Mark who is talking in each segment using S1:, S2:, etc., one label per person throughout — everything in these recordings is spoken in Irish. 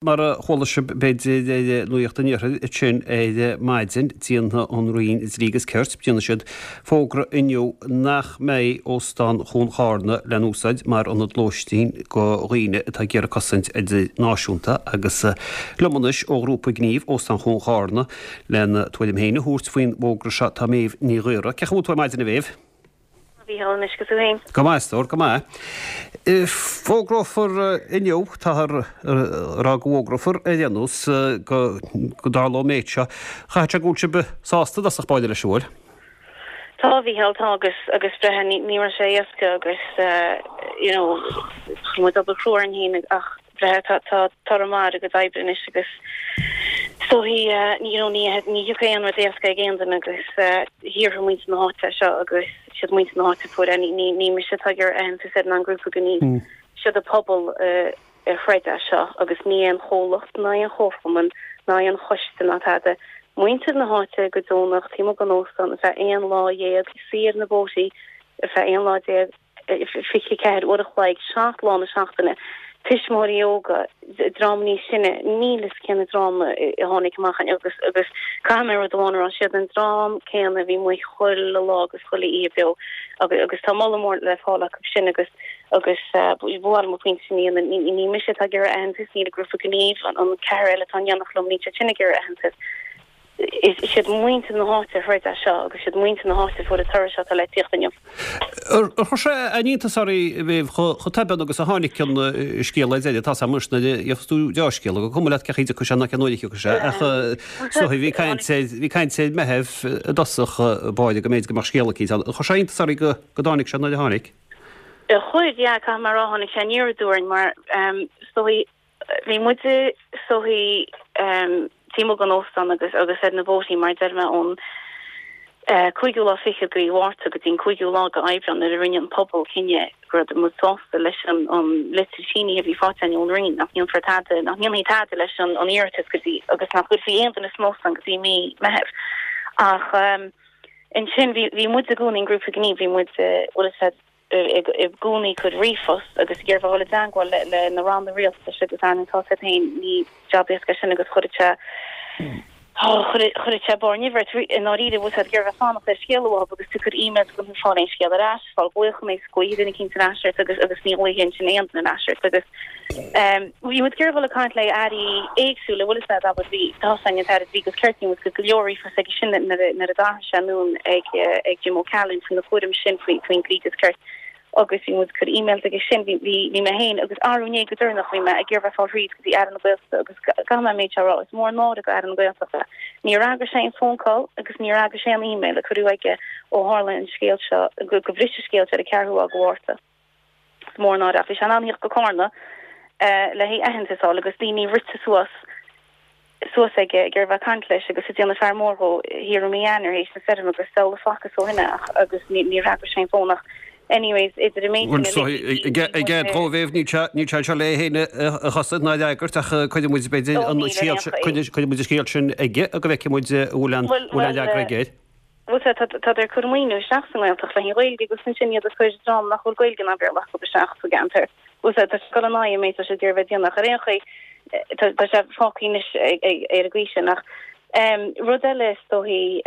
S1: Mar a chuala sibh b'fhéidir ar Nuacht an Iarthair ansin ar maidin, déanfaidh an Roinn Dlí agus Cirt, déanfaidh siad fógra inniu nach mbeidh Óstán Chuan Charna le n-úsáid mar ionad lóistín go dhaoine atá ag iarraidh cosaint idirnáisiúnta agus liom anois ó ghrúpa gnímh Óstán Chuan Charna lena tuairim féin a thabhairt faoin bhfógra seo tá Méabh Ní Ghaora. Cén chaoi a bhfuil tú ar maidin a Mhéabh?
S2: A Mhícheáil anois agus tú féin.
S1: Go maith, a stór, go maith. Fógrófar inniu, táthar ag rá go bhfógrófar ar aon nós go dtarlóidh an méid seo. Chaithfeadh sé go bhfuil sibh sásta i dtosach báire leis, an bhfuil?
S2: Tá, a Mhícheáil, tá agus agus breithe ní ní raibh sé éasca agus you know chuir muid obair chrua orainn féin ach breithe tá tá toradh maith ar a gcuid oibre anois agus is dóichí you know ní ní thiocfaidh aon rud éasca ag aon duine agus shaothraigh muintir na háite é seo agus siad muintir na háite a fuair é ní ní ní mise atá ag iarraidh aitheantas air ná an grúpa gnímh siad an pobal a throid é seo agus ní aon chomhlacht ná aon chomharchumann ná aon choiste ná tada. Muintir na háite go deonach taobh amuigh den óstán ar feadh 11 lá, suí ar na boaties ar feadh 11 lá. 24 uair a chloig, 7 lá na seachtaine, tuismitheoirí óga, dream níos sine, níl fhios cén dream a tháinig amach agus agus caithfidh mé rud amháin a rá, siad an dream céanna a bhí amuigh chuile lá agus chuile oíche beo agus agus tá moladh mór le fáil acu sin agus agus ba mhaith liom an pointe sin a dhéanamh, ní ní mise atá ag iarraidh aitheantas, níl an grúpa gnímh, an ceathrar eile atá in éineacht liom, níl siad sin ag iarraidh aitheantas. Is iad muintir na háite a throid é seo agus is iad muintir na háite a fuair an toradh seo atá le tíocht inniu.
S1: Ar chuir sé aon iontas oraibh, a Mhéabh, chomh tobann agus a tháinig an scéal ar deireadh? Tá's agam anois nuair a gheobhas tú deá-scéala, gur cuma leat cén chaoi a dtiocfaidh sé ná cén uair a thiocfaidh sé, ach is dóigh bhí caint ar, bhí caint ar Mheitheamh i dtosach báire go mb'fhéidir go mbeadh scéal eicínt ann. Ar chuir sé iontas oraibh go dtáinig sé nuair a tháinig?
S2: Chuir, yeah, caithfidh mé a rá, tháinig sé aniar aduaidh orainn mar is dóigh, Bhí muid is dóichí taobh amuigh den óstán agus agus ar na boaties mar a deir mé ón cúigiú lá fichead de mhí Mhárta go dtí an cúigiú lá de Aibreán nuair a rinne an pobal cinneadh go raibh muid sásta leis an an litir sínithe a bhí faighte againn ón Roinn nach ndéanfar tada nach ndéanfaí tada leis an an iarratas go dtí agus nach gcuirfí aon duine san óstán go dtí mí Meithimh. Ach ansin bhí bhí muid i gcónaí an grúpa gnímh bhí muid bhfuil a fhios agat i gcónaí ag cur ríomhphost agus ag iarraidh a dhul i dteangmháil le na ranna rialtais agus ar ndóigh tá a fhios agat féin ní jab éasca é sin agus chuirfeadh sé chuirfeadh sé barr nimhe ort i ndáiríre bhfuil a fhios agat ag iarraidh a bheith fanacht ar scéala uathu agus tú ag cur emails agus ag fáil aon scéal ar ais, fáil glaochanna is glaofaidh duine eicínt ar ais ort agus agus ní ghlaofaidh ansin aon duine ar ais ort agus bhí muid ag iarraidh a dhul ag caint le airí éagsúla bhfuil a fhios agat abair bhí tá a fhios againn an tAire Dlí agus Cirt bhí muid ag cur go leor ríomhphost aige sin nuair a nuair a d'athraigh sé anonn ag ag Jim O'Callaghan faoina chúram sin faoi faoin dlí agus cirt agus bhí muid ag cur emails aige sin bhí bhí bhí mé féin agus arú inné go deireanach bhí mé ag iarraidh bheith ag fáil thríd go dtí Aire na Gaeltachta agus caithfidh mé an méid seo a rá is mór an náire go Aire na Gaeltachta níor fhreagair sé aon phone call agus níor fhreagair sé aon email a cuireadh aige ó tharla an scéal seo go go bhris an scéal seo ar an ceathrú lá de Mhárta. Is mór an náire ach bhí sé in ann theacht go Cárna le haghaidh aitheantas a fháil agus daoine rite suas suas aige ag iarraidh bheith ag caint leis agus ag déanamh fear mór dhó thiar i mí Eanáir théis na stoirme agus diabhal a facthas ó shin é ach agus níor fhreagair sé an fón ach anyways idir an méid sin
S1: uilig bhí I gcead dhó a Mhéabh níl sé níl sé anseo le é féin a chosaint ná a fhreagairt ach cuirfidh muid b'fhéidir an scéal cuirfidh muid an scéal sin aige go bhfeicfidh muid an bhfuil aon bhfuil aon fhreagra aige air.
S2: Bhuel tá, tá ag cur maoiniú isteach sa nGaeltacht le haghaidh an Ghaeilge agus ansin iad ag cur dream nach bhfuil Gaeilge ná Béarla acu isteach sa gceantar. Bhuel tá sé ag dul in aghaidh an méid atá siad ag iarraidh bheith ag déanamh ach ar aon chaoi tá tá sé fágtha anois ar an gcaoi sin ach rud eile is dóichí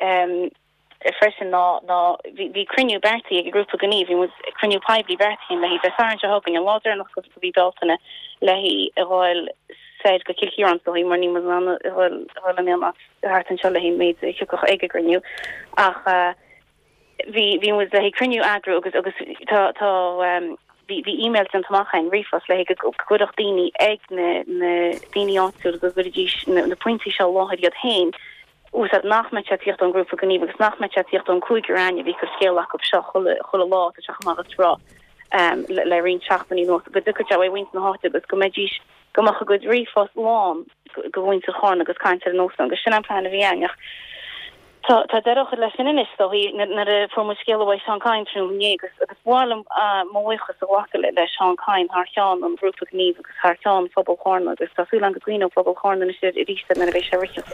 S2: freisin ná ná bhí bhí cruinniú beartaithe ag an grúpa gnímh, bhí muid cruinniú poiblí beartaithe le haghaidh Dé Sathairn seo chugainn an lá deireanach de mhí Bealtaine le haghaidh a ghabháil soir go Cill Chiaráin is dóichí mar níl muid in ann a dhul in aon áit thart anseo le haghaidh an méid a thiocfadh ag an gcruinniú ach bhí bhí muid le haghaidh cruinniú a eagrú agus agus tá tá bhí bhí email déanta amach againn, ríomhphost le haghaidh go gcuirfeadh daoine ag na na daoine áitiúla go gcuirfidís na na pointí seo i láthair iad féin úsáid nach mbeadh sé ag tíocht ón ngrúpa gnímh agus nach mbeadh sé ag tíocht ón cúigear againne a bhí ag cur scéala acu seo chuile chuile lá tá sé chomh maith agus rá le le roinnt seachtainí anuas go dtiocfadh sé uaidh mhuintir na háite agus go mbeidís go mbeadh a gcuid ríomhphost lán de mhuintir Charna agus caint ar an óstán agus sin an plean a bhí againn ach tá tá deireadh á chur leis sin anois is dóichí nuair a fuair muid scéala uaidh Seán Kyne tráthnóna inné agus agus ba mhaith liom mo bhuíochas a ghlacadh le le Seán Kyne thar cheann an ghrúpa gnímh agus thar cheann phobal Charna agus tá súil agam go gcuimhneoidh pobal Charna anois arís air nuair a bheidh sé ag rith.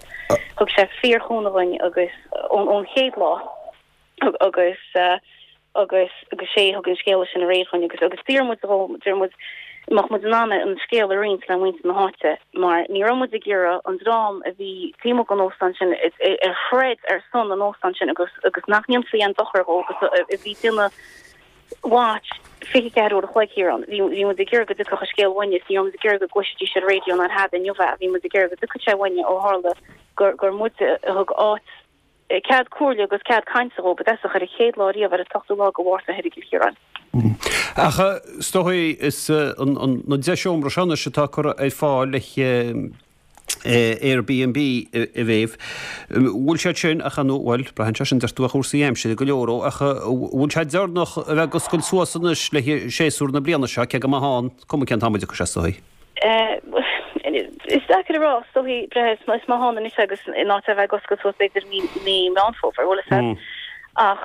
S2: Thug sé fíorchúnamh dhuinn agus ón ón chéad lá. agus agus agus sé a thug an scéala sin aréir chugainn agus agus d'iarr muid dhó, d'iarr muid. mbeadh muid in ann an scéal a roinnt le muintir na háite mar ní raibh muid ag iarraidh an dream a bhí taobh amuigh den óstán sin a throid ar son an óstáin sin agus agus nach ndéanfaí aon dochar dhó agus a bhí ag déanamh watch 24 uair a chloig thiar ann. Bhí bhí muid ag iarraidh go dtiocfadh an scéal uainne is ní raibh muid ag iarraidh go gcloisfidís ar an raidió ná ar thada inniu é. Bhí muid ag iarraidh go dtiocfadh sé uainne ó tharla gur gur muide a thug áit cead comhairle agus cead cainte dhóibh i dtosach ar an chéad lá riamh ar an t-ochtú lá de Mhárta thoir i gCill Chiaráin.
S1: Ach is dóigh is na 10 seomra seo anois atá curtha ar fáil le Airbnb a Mhéabh, bhfuil siad sin, ach nó, bhuel, braitheann sé sin deir tú ar chúrsaí aimsire go leor ó, ach bhfuil sé deireanach a bheith ag oscailt suas anois le séasúr na bliana seo, cé go maith ann, cuma cén t-am a dtiocfaidh sé is dóigh.
S2: Is deacair a rá, is dóichí, breith is maith ann anois agus in áit a bheith ag oscailt suas b'fhéidir mí mí Meán Fómhair, bhfuil a fhios agat. Ach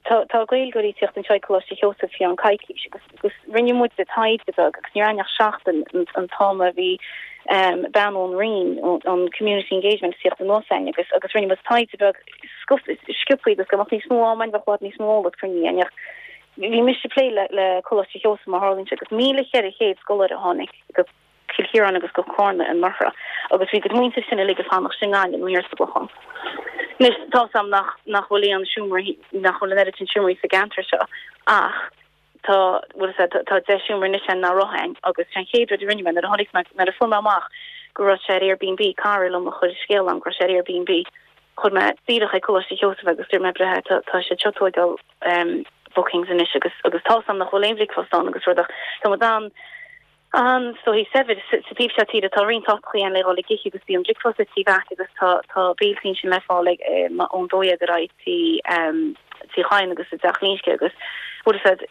S2: tá tá Gaeilgeoirí ag tíocht anseo ag Coláiste Sheosaimh faoi cheann coicís agus agus rinne muid taighde beag agus ní raibh ach seachtain an t-am a bhí bean ón Roinn ón Community Engagement ag tíocht anuas againn agus agus rinne muid taighde beag sciobthaí agus go mbeadh níos mó am againn bheadh i bhfad níos mó eolas cruinn againn ach Bhí mise ag plé le Coláiste Sheosaimh mar tharlaíonn sé agus 1,400 scoláire a tháinig go Cill Chiaráin agus go Cárna anuraidh agus bhí a gcuid muintir sin uilig ag fanacht i nGaillimh nó thiar sa gClochán. Anois tá 'fhios a'm nach nach bhfuil aon seomraí nach bhfuil an oiread sin seomraí sa gceantar seo ach tá bhfuil 'fhios a'd tá 10 seomra anois ann nach raibh ann agus sé an chéad rud a rinne mé nuair a tháinig mé nuair a fuair mé amach go raibh sé ar Airbnb cara liom a chuir scéal a'm go raibh sé ar Airbnb chuir mé díreach ag Coláiste Sheosaimh agus dúirt mé breithe tá tá siad seo tóigeáil bookings anois agus agus tá 'fhios a'm nach bhfuil aon bhricfeasta ann agus rud ach tá muid an an is dóichí saibhir sa taobh seo tíre tá roinnt áiteachaí ann le dhul ag ithe agus bíonn bricfeasta tí Mheaic agus tá tá béiltí ansin le fáil ag ón 12 ar aghaidh tí Tí Chadhain agus i dTeach Ghlinsce agus bhfuil 'fhios a'd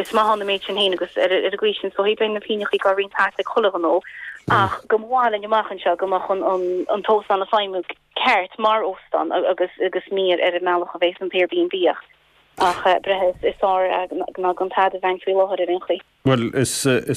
S2: is maith ann an méid sin féin agus ar ar an gcaoi sin is dóichí beidh na pingneachaí á roinnt thart ag chuile ghnó ach go mba mhaith linn amach anseo go mbeadh an an an t-óstán ag feidhmiú ceart mar óstán agus agus ní ar an mbealach a bhéas an t-Airbnb ach ach breithe is fearr ná gan tada a bheith faoi láthair ar aon chaoi.
S1: Bhuel, is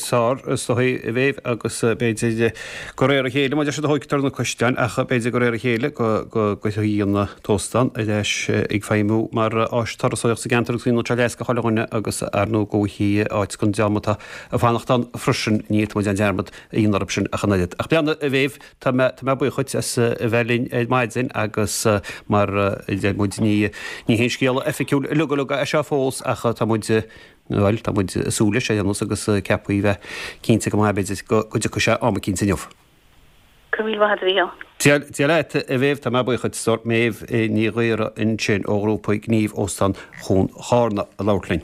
S1: fearr is dóichí a Mhéabh agus b'fhéidir de réir a chéile, mar a deir siad a thóigtear na caisleáin ach b'fhéidir de réir a chéile go dtiocfaidh an t-óstán ar ais ag feidhmiú mar áis turasóireachta sa gceantar agus go ndéanfaidh sé leas do chuile dhuine agus ar ndóigh go bhfaighidh áit don dream atá ag fanacht ann freisin, ní fhéadfaidh muid aon dearmad a dhéanamh orthu sin ach an oiread. Ach breathnaigh, a Mhéabh, Tá mé, tá mé buíoch dhuit as a bheith linn ar maidin agus mar a deir muid ní, ní haon scéala oifigiúil uilig uilig é seo fós ach tá muid, bhuel, tá muid ag súil leis ar aon nós agus ceaptha a bheith cinnte go maith b'fhéidir go dtiocfaidh sé am eicínt inniu.
S2: Go raibh míle maith agat a Mhícheáil.
S1: Dia, Dia leat a Mhéabh, tá mé buíoch dhuit. Méabh Ní Ghaora ansin ó ghrúpa Gníomh Óstán Chuan Charna ag labhairt linn.